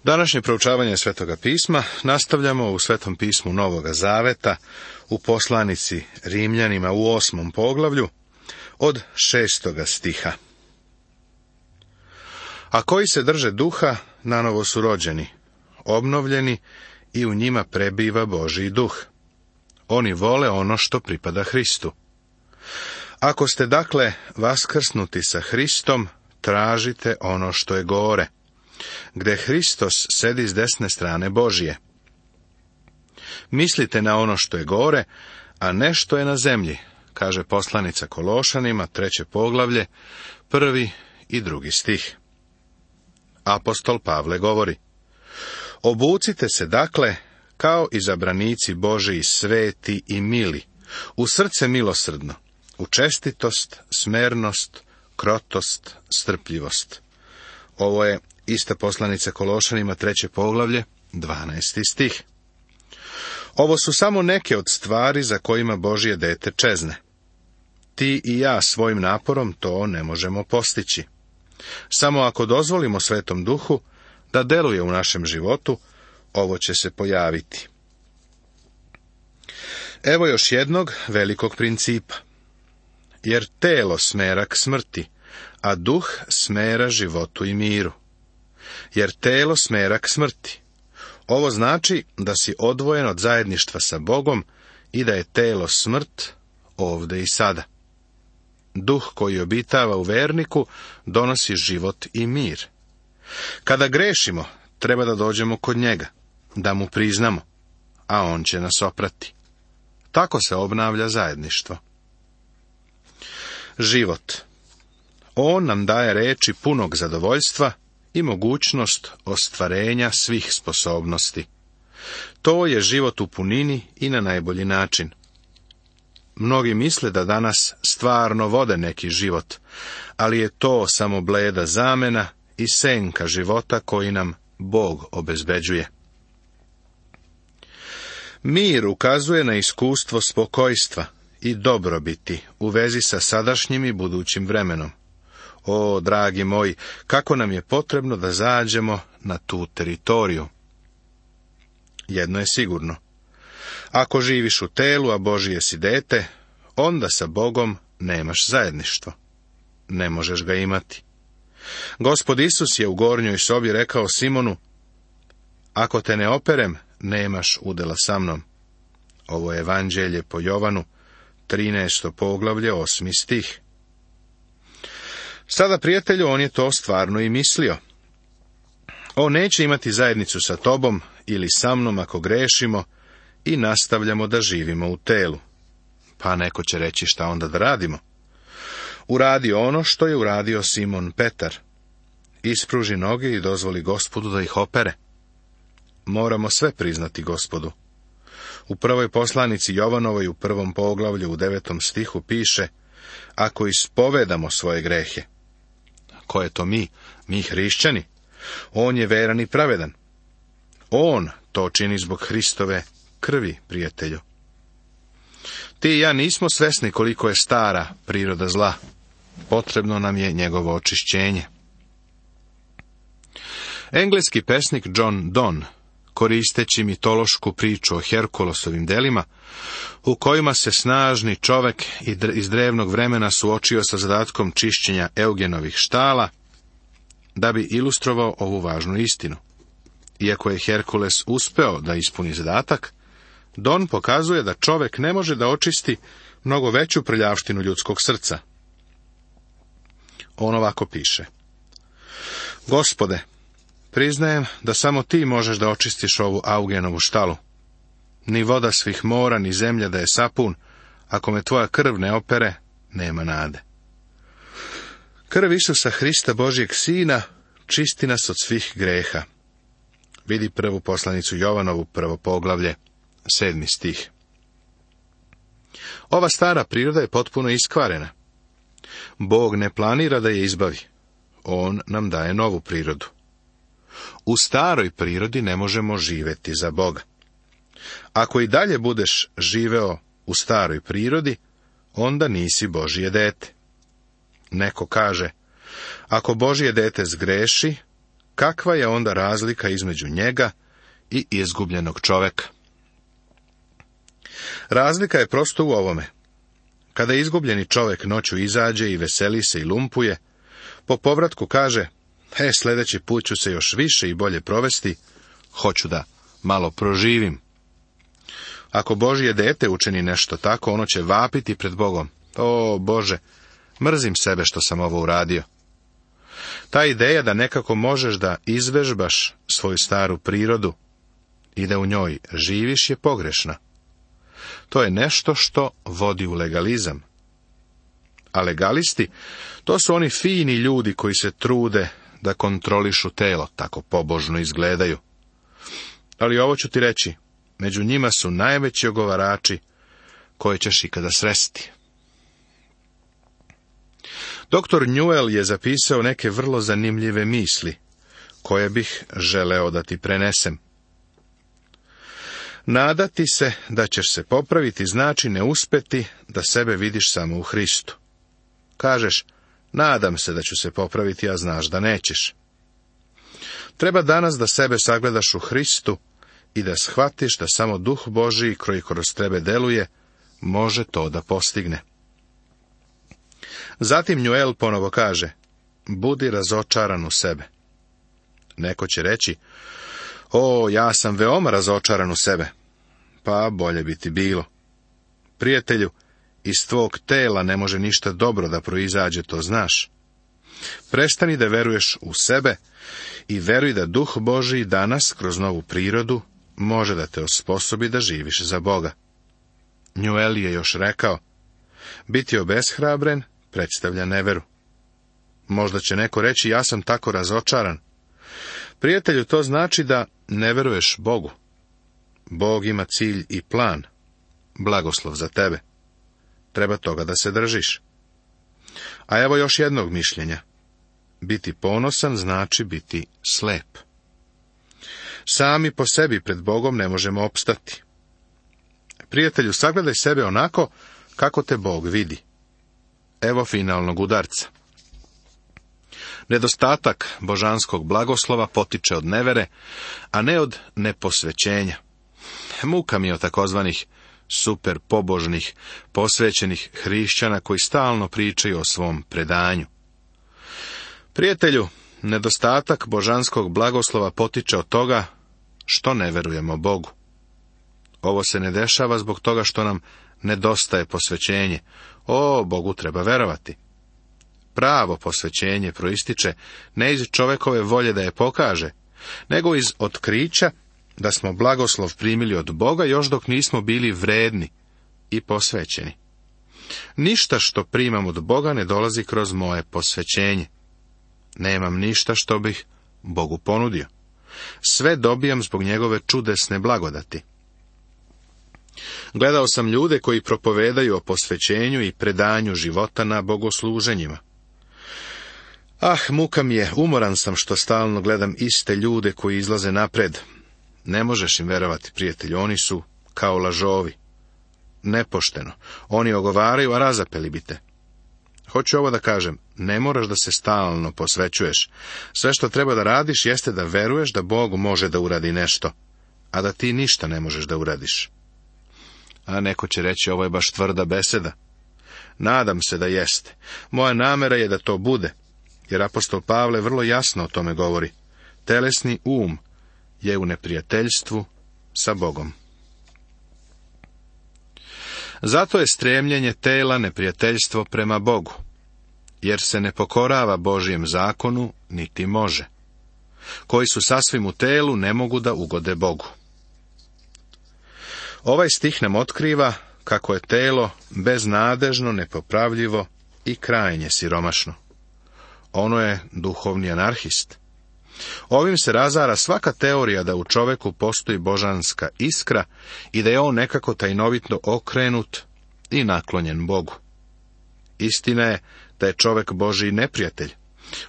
Današnje proučavanje Svetoga pisma nastavljamo u Svetom pismu Novoga Zaveta, u poslanici Rimljanima u 8. poglavlju, od 6. stiha. A koji se drže duha, nanovo su rođeni, obnovljeni i u njima prebiva Božji duh. Oni vole ono što pripada Hristu. Ako ste dakle vaskrsnuti sa Hristom, tražite ono što je gore, gde Hristos sedi s desne strane Božje. Mislite na ono što je gore, a ne što je na zemlji, kaže poslanica Kološanima, 3. poglavlje, 1. i 2. stih. Apostol Pavle govori: obucite se dakle kao izabranici Božiji, sveti i mili, u srce milosrdno, u čestitost, smernost, krotost, strpljivost. Ovo je ista poslanica Kološanima, 3. poglavlje, 12. stih. Ovo su samo neke od stvari za kojima Božje dete čezne. Ti i ja svojim naporom to ne možemo postići. Samo ako dozvolimo Svetom Duhu da deluje u našem životu, ovo će se pojaviti. Evo još jednog velikog principa. Jer telo smera k smrti, a duh smera životu i miru. Jer telo smera k smrti. Ovo znači da si odvojen od zajedništva sa Bogom i da je telo smrt ovde i sada. Duh koji obitava u verniku donosi život i mir. Kada grešimo, treba da dođemo kod njega, da mu priznamo, a on će nas oprati. Tako se obnavlja zajedništvo. Život. On nam daje reči punog zadovoljstva i mogućnost ostvarenja svih sposobnosti. To je život u punini i na najbolji način. Mnogi misle da danas stvarno vode neki život, ali je to samo bleda zamena i senka života koji nam Bog obezbeđuje. Mir ukazuje na iskustvo spokojstva i dobrobiti u vezi sa sadašnjim i budućim vremenom. O, dragi moji, kako nam je potrebno da zađemo na tu teritoriju. Jedno je sigurno. Ako živiš u telu, a Božije si dete, onda sa Bogom nemaš zajedništvo. Ne možeš ga imati. Gospod Isus je u gornjoj sobi rekao Simonu: ako te ne operem, nemaš udela sa mnom. Ovo je Evanđelje po Jovanu, 13. poglavlje, 8. stih. Sada, prijatelju, on je to stvarno i mislio. On neće imati zajednicu sa tobom ili sa mnom ako grešimo i nastavljamo da živimo u telu. Pa neko će reći: šta onda da radimo? Uradi ono što je uradio Simon Petar. Ispruži noge i dozvoli Gospodu da ih opere. Moramo sve priznati Gospodu. U prvoj poslanici Jovanovoj u 1. poglavlju u 9. stihu piše: ako ispovedamo svoje grehe. Ko je to mi? Mi hrišćani. On je veran i pravedan. On to čini zbog Hristove krvi, prijatelju. Ti i ja nismo svesni koliko je stara priroda zla. Potrebno nam je njegovo očišćenje. Engleski pesnik John Donne, koristeći mitološku priču o Herkulesovim delima, u kojima se snažni čovek iz drevnog vremena suočio sa zadatkom čišćenja Eugenovih štala, da bi ilustrovao ovu važnu istinu. Iako je Herkules uspeo da ispuni zadatak, Don pokazuje da čovek ne može da očisti mnogo veću prljavštinu ljudskog srca. On ovako piše: Gospode, priznajem da samo ti možeš da očistiš ovu Augenovu štalu. Ni voda svih mora, ni zemlja da je sapun, ako me tvoja krv ne opere, nema nade. Krv Isusa Hrista, Božjeg Sina, čisti nas od svih greha. Vidi prvu poslanicu Jovanovu, 1. poglavlje, 7. stih. Ova stara priroda je potpuno iskvarena. Bog ne planira da je izbavi. On nam daje novu prirodu. U staroj prirodi ne možemo živeti za Boga. Ako i dalje budeš živeo u staroj prirodi, onda nisi Božje dete. Neko kaže: ako Božje dete zgreši, kakva je onda razlika između njega i izgubljenog čoveka? Razlika je prosto u ovome. Kada izgubljeni čovjek noću izađe i veseli se i lumpuje, po povratku kaže, sljedeći put ću se još više i bolje provesti, hoću da malo proživim. Ako Božje dete učini nešto tako, ono će vapiti pred Bogom. O Bože, mrzim sebe što sam ovo uradio. Ta ideja da nekako možeš da izvežbaš svoju staru prirodu i da u njoj živiš je pogrešna. To je nešto što vodi u legalizam. A legalisti, to su oni fini ljudi koji se trude da kontrolišu telo, tako pobožno izgledaju. Ali ovo ću ti reći, među njima su najveći ogovarači koje ćeš ikada sresti. Dr. Newell je zapisao neke vrlo zanimljive misli, koje bih želeo da ti prenesem. Nadati se da ćeš se popraviti znači ne uspeti da sebe vidiš samo u Hristu. Kažeš, nadam se da ću se popraviti, a znaš da nećeš. Treba danas da sebe sagledaš u Hristu i da shvatiš da samo Duh Božiji koji kroz tebe deluje, može to da postigne. Zatim Newell ponovo kaže, budi razočaran u sebe. Neko će reći, ja sam veoma razočaran u sebe. Pa bolje bi ti bilo. Prijatelju, iz tvog tela ne može ništa dobro da proizađe, to znaš. Prestani da veruješ u sebe i veruj da Duh Božiji danas, kroz novu prirodu, može da te osposobi da živiš za Boga. Newell je još rekao, biti obeshrabren predstavlja neveru. Možda će neko reći, ja sam tako razočaran. Prijatelju, to znači da ne veruješ Bogu. Bog ima cilj i plan, blagoslov za tebe. Treba toga da se držiš. A evo još jednog mišljenja. Biti ponosan znači biti slep. Sami po sebi pred Bogom ne možemo opstati. Prijatelju, sagledaj sebe onako kako te Bog vidi. Evo finalnog udarca. Nedostatak božanskog blagoslova potiče od nevere, a ne od neposvećenja. Muka mi od takozvanih super pobožnih, posvećenih hrišćana koji stalno pričaju o svom predanju. Prijatelju, nedostatak božanskog blagoslova potiče od toga što ne verujemo Bogu. Ovo se ne dešava zbog toga što nam nedostaje posvećenje. Bogu treba verovati. Pravo posvećenje proističe ne iz čovekove volje da je pokaže, nego iz otkrića da smo blagoslov primili od Boga još dok nismo bili vredni i posvećeni. Ništa što primam od Boga ne dolazi kroz moje posvećenje. Nemam ništa što bih Bogu ponudio. Sve dobijam zbog njegove čudesne blagodati. Gledao sam ljude koji propovedaju o posvećenju i predanju života na bogosluženjima. Muka mi je, umoran sam što stalno gledam iste ljude koji izlaze napred. Ne možeš im verovati, prijatelju, oni su kao lažovi. Nepošteno. Oni ogovaraju, a razapeli bi te. Hoću ovo da kažem, ne moraš da se stalno posvećuješ. Sve što treba da radiš jeste da veruješ da Bog može da uradi nešto, a da ti ništa ne možeš da uradiš. A neko će reći, ovo je baš tvrda beseda. Nadam se da jeste. Moja namera je da to bude, jer apostol Pavle vrlo jasno o tome govori. Telesni um je u neprijateljstvu sa Bogom. Zato je stremljenje tela neprijateljstvo prema Bogu, jer se ne pokorava Božjem zakonu, niti može. Koji su sasvim u telu, ne mogu da ugode Bogu. Ovaj stih nam otkriva kako je telo beznadežno, nepopravljivo i krajnje siromašno. Ono je duhovni anarhist. Ovim se razara svaka teorija da u čoveku postoji božanska iskra i da je on nekako tajnovitno okrenut i naklonjen Bogu. Istina je da je čovek Božji neprijatelj.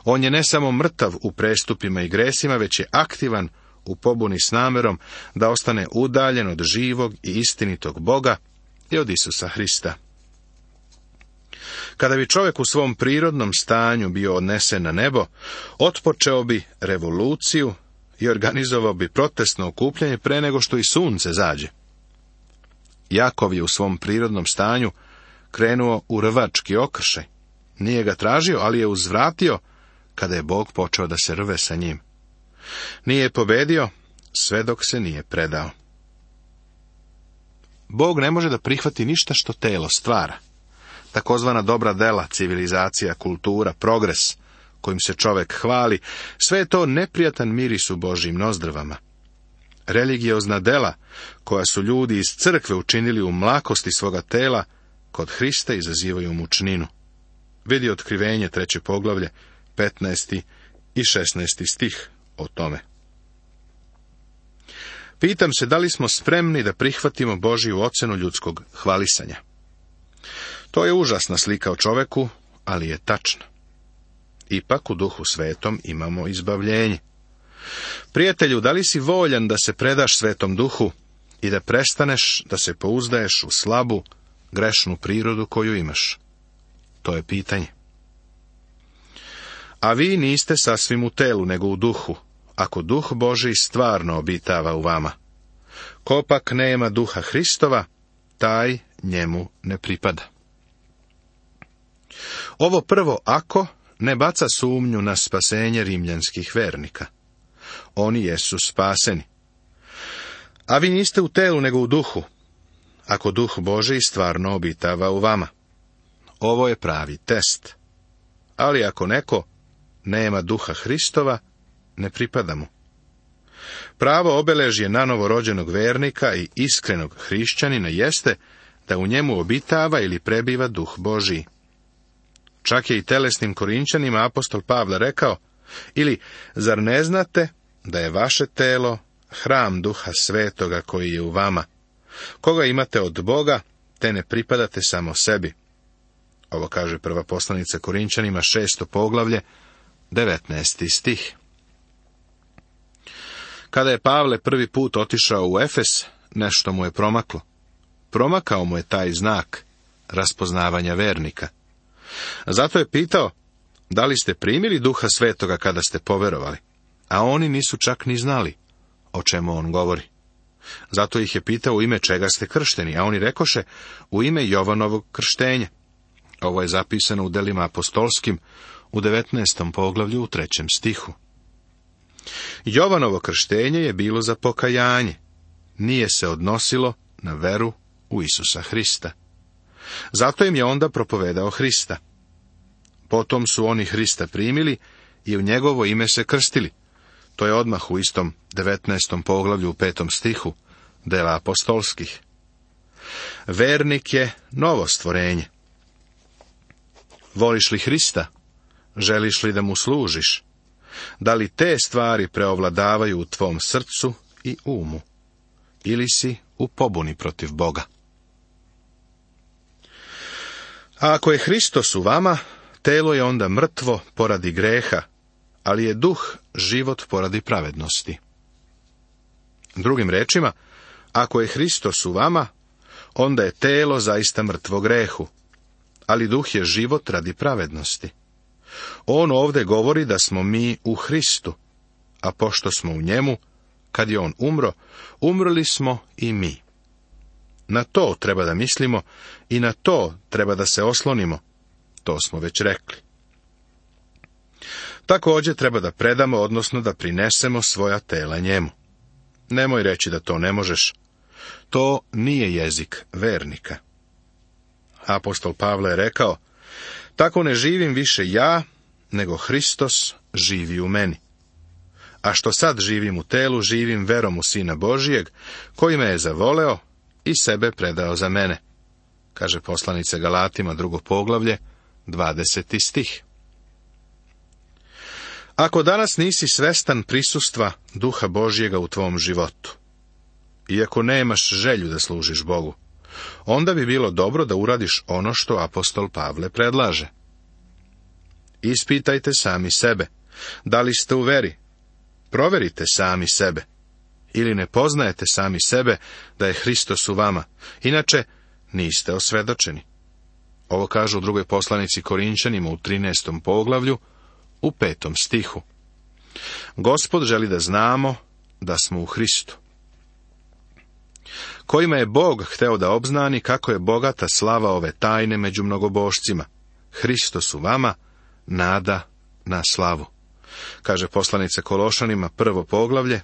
On je ne samo mrtav u prestupima i gresima, već je aktivan u pobuni s namerom da ostane udaljen od živog i istinitog Boga i od Isusa Hrista. Kada bi čovjek u svom prirodnom stanju bio odnesen na nebo, otpočeo bi revoluciju i organizovao bi protestno okupljanje pre nego što i sunce zađe. Jakov je u svom prirodnom stanju krenuo u rvački okršaj. Nije ga tražio, ali je uzvratio kada je Bog počeo da se rve sa njim. Nije pobedio sve dok se nije predao. Bog ne može da prihvati ništa što telo stvara. Takozvana dobra dela, civilizacija, kultura, progres, kojim se čovjek hvali, sve je to neprijatan miris u Božjim nozdrvama. Religiozna dela, koja su ljudi iz crkve učinili u mlakosti svoga tela, kod Hrista izazivaju mučninu. Vidi Otkrivenje 3. poglavlje, 15. i 16. stih o tome. Pitam se da li smo spremni da prihvatimo Božju ocenu ljudskog hvalisanja. To je užasna slika o čoveku, ali je tačna. Ipak u Duhu Svetom imamo izbavljenje. Prijatelju, da li si voljan da se predaš Svetom Duhu i da prestaneš da se pouzdaješ u slabu, grešnu prirodu koju imaš? To je pitanje. A vi niste sasvim u telu, nego u duhu, ako Duh Božji stvarno obitava u vama. Ko pak nema Duha Hristova, taj njemu ne pripada. Ovo prvo ako ne baca sumnju na spasenje rimljanskih vernika. Oni jesu spaseni. A vi niste u telu, nego u duhu, ako Duh Božji stvarno obitava u vama. Ovo je pravi test. Ali ako neko nema Duha Hristova, ne pripada mu. Pravo obeležje nanovorođenog vernika i iskrenog hrišćanina jeste da u njemu obitava ili prebiva Duh Božji. Čak je i telesnim Korinćanima apostol Pavle rekao, ili zar ne znate da je vaše telo hram Duha Svetoga koji je u vama, koga imate od Boga, te ne pripadate samo sebi. Ovo kaže prva poslanica Korinćanima 6. poglavlje, 19. stih. Kada je Pavle prvi put otišao u Efes, nešto mu je promaklo. Promakao mu je taj znak raspoznavanja vernika. Zato je pitao, da li ste primili Duha Svetoga kada ste poverovali? A oni nisu čak ni znali o čemu on govori. Zato ih je pitao u ime čega ste kršteni, a oni rekoše u ime Jovanovog krštenja. Ovo je zapisano u delima apostolskim u 19. poglavlju u 3. stihu. Jovanovo krštenje je bilo za pokajanje. Nije se odnosilo na veru u Isusa Hrista. Zato im je onda propovedao Hrista. Potom su oni Hrista primili i u njegovo ime se krstili. To je odmah u istom 19. poglavlju u 5. stihu dela apostolskih. Vernik je novo stvorenje. Voliš li Hrista? Želiš li da mu služiš? Da li te stvari preovladavaju u tvom srcu i umu? Ili si u pobuni protiv Boga? A ako je Hristos u vama, telo je onda mrtvo poradi greha, ali je duh život poradi pravednosti. Drugim rečima, ako je Hristos u vama, onda je telo zaista mrtvo grehu, ali duh je život radi pravednosti. On ovdje govori da smo mi u Hristu, a pošto smo u njemu, kad je on umro, umrli smo i mi. Na to treba da mislimo i na to treba da se oslonimo. To smo već rekli. Također treba da predamo, odnosno da prinesemo svoja tela njemu. Nemoj reći da to ne možeš. To nije jezik vernika. Apostol Pavle je rekao, tako ne živim više ja, nego Hristos živi u meni. A što sad živim u telu, živim verom u Sina Božijeg, koji me je zavoleo i sebe predao za mene, kaže poslanica Galatima 2. poglavlje, 20. stih. Ako danas nisi svestan prisustva Duha Božjega u tvom životu, i ako nemaš želju da služiš Bogu, onda bi bilo dobro da uradiš ono što apostol Pavle predlaže. Ispitajte sami sebe, da li ste u veri, proverite sami sebe, ili ne poznajete sami sebe da je Hristos u vama, inače niste osvedočeni. Ovo kaže u drugoj poslanici Korinčanima u 13. poglavlju, u 5. stihu. Gospod želi da znamo da smo u Hristu, kojima je Bog hteo da obznani kako je bogata slava ove tajne među mnogobošcima. Hristos u vama, nada na slavu. Kaže poslanica Kološanima, 1. poglavlje,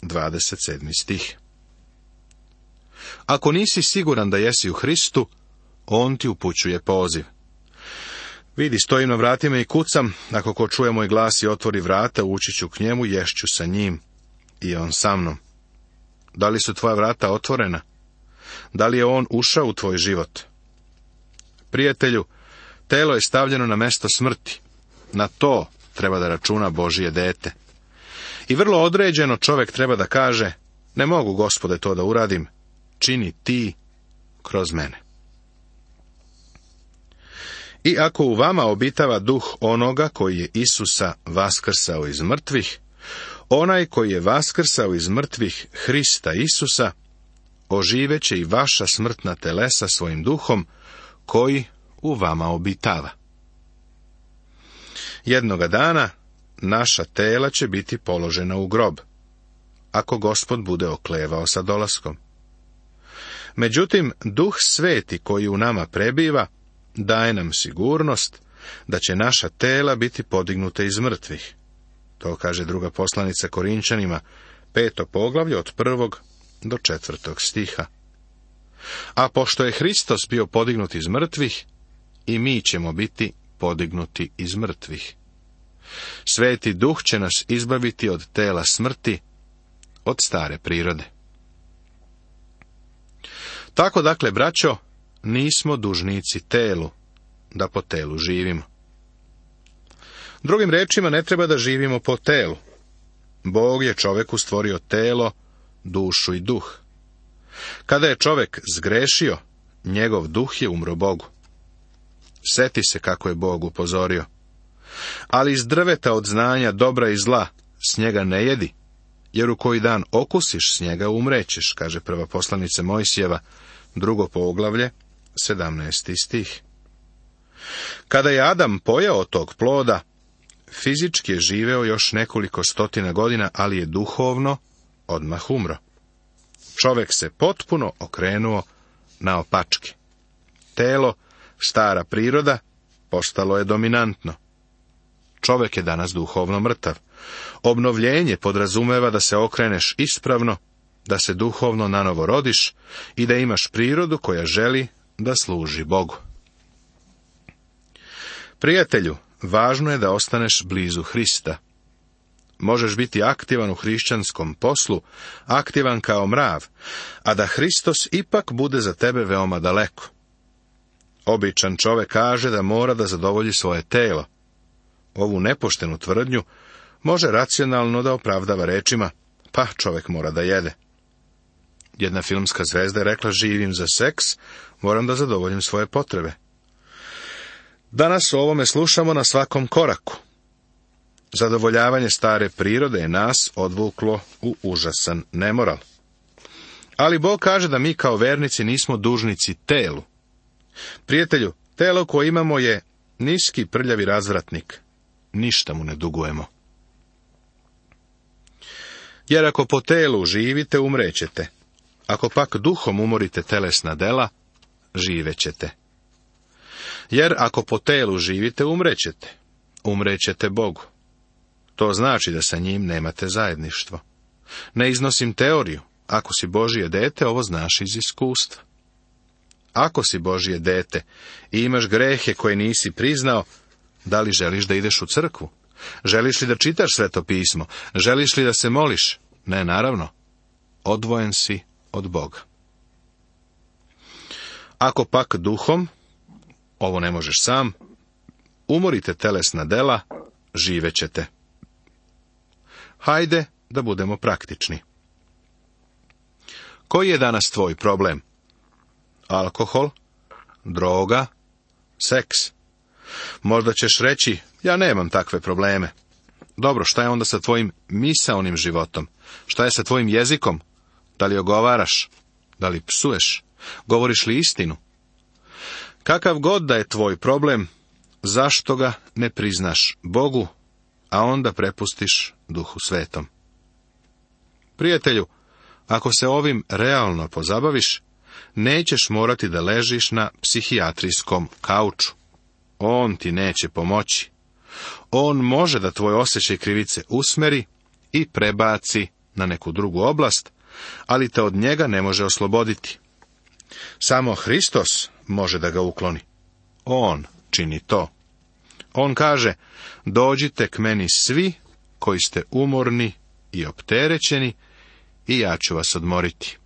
27. stih. Ako nisi siguran da jesi u Hristu, on ti upućuje poziv. Vidi, stojim na vratima i kucam, ako ko čuje moj glas i otvori vrata, ući ću k njemu, ješću sa njim i on sa mnom. Da li su tvoja vrata otvorena? Da li je on ušao u tvoj život? Prijatelju, telo je stavljeno na mesto smrti. Na to treba da računa Božje dete. I vrlo određeno čovjek treba da kaže, ne mogu, Gospode, to da uradim, čini ti kroz mene. I ako u vama obitava duh onoga koji je Isusa vaskrsao iz mrtvih, onaj koji je vaskrsao iz mrtvih Hrista Isusa, oživeće i vaša smrtna telesa svojim duhom, koji u vama obitava. Jednoga dana naša tela će biti položena u grob, ako Gospod bude oklevao sa dolaskom. Međutim, Duh Sveti koji u nama prebiva, daje nam sigurnost da će naša tela biti podignuta iz mrtvih. To kaže druga poslanica Korinčanima, 5. poglavlje od 1. do 4. stiha. A pošto je Hristos bio podignut iz mrtvih, i mi ćemo biti podignuti iz mrtvih. Sveti Duh će nas izbaviti od tela smrti, od stare prirode. Tako dakle, braćo, nismo dužnici telu, da po telu živimo. Drugim rečima, ne treba da živimo po telu. Bog je čoveku stvorio telo, dušu i duh. Kada je čovek zgrešio, njegov duh je umro Bogu. Seti se kako je Bog upozorio. Ali iz drveta od znanja dobra i zla s njega ne jedi, jer u koji dan okusiš s njega umrećeš, kaže prva poslanica Mojsijeva, 2. poglavlje, 17. stih. Kada je Adam pojeo tog ploda, fizički je živeo još nekoliko stotina godina, ali je duhovno odmah umro. Čovek se potpuno okrenuo naopačke. Telo, stara priroda, postalo je dominantno. Čovek je danas duhovno mrtav. Obnovljenje podrazumeva da se okreneš ispravno, da se duhovno nanovo rodiš i da imaš prirodu koja želi da služi Bogu. Prijatelju, važno je da ostaneš blizu Hrista. Možeš biti aktivan u hrišćanskom poslu, aktivan kao mrav, a da Hristos ipak bude za tebe veoma daleko. Običan čovek kaže da mora da zadovolji svoje telo. Ovu nepoštenu tvrdnju može racionalno da opravdava rečima, pa čovek mora da jede. Jedna filmska zvezda je rekla, živim za seks, moram da zadovoljim svoje potrebe. Danas o ovome slušamo na svakom koraku. Zadovoljavanje stare prirode je nas odvuklo u užasan nemoral. Ali Bog kaže da mi kao vernici nismo dužnici telu. Prijatelju, telo koje imamo je niski prljavi razvratnik. Ništa mu ne dugujemo. Jer ako po telu živite, umrećete. Ako pak duhom umorite telesna dela, živećete. Jer ako po telu živite, umrećete. Umrećete Bogu. To znači da sa njim nemate zajedništvo. Ne iznosim teoriju. Ako si Božje dete, ovo znaš iz iskustva. Ako si Božje dete i imaš grehe koje nisi priznao, da li želiš da ideš u crkvu? Želiš li da čitaš Sveto pismo? Želiš li da se moliš? Ne, naravno. Odvojen si od Boga. Ako pak duhom, ovo ne možeš sam, umorite telesna dela, živećete. Hajde da budemo praktični. Koji je danas tvoj problem? Alkohol, droga, seks. Možda ćeš reći, ja nemam takve probleme. Dobro, šta je onda sa tvojim misaonim životom? Šta je sa tvojim jezikom? Da li ogovaraš? Da li psuješ? Govoriš li istinu? Kakav god da je tvoj problem, zašto ga ne priznaš Bogu, a onda prepustiš Duhu Svetom? Prijatelju, ako se ovim realno pozabaviš, nećeš morati da ležiš na psihijatrijskom kauču. On ti neće pomoći. On može da tvoj osjećaj krivice usmeri i prebaci na neku drugu oblast, ali te od njega ne može osloboditi. Samo Hristos može da ga ukloni. On čini to. On kaže, dođite k meni svi koji ste umorni i opterećeni i ja ću vas odmoriti.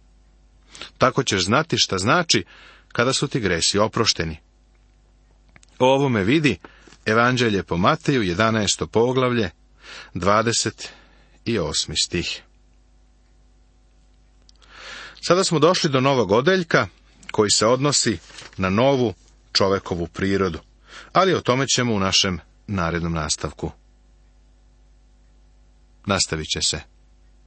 Tako ćeš znati šta znači kada su ti gresi oprošteni. O ovome vidi Evanđelje po Mateju, 11. poglavlje, 28. stih. Sada smo došli do novog odeljka koji se odnosi na novu čovekovu prirodu, ali o tome ćemo u našem narednom nastavku. Nastavit će se.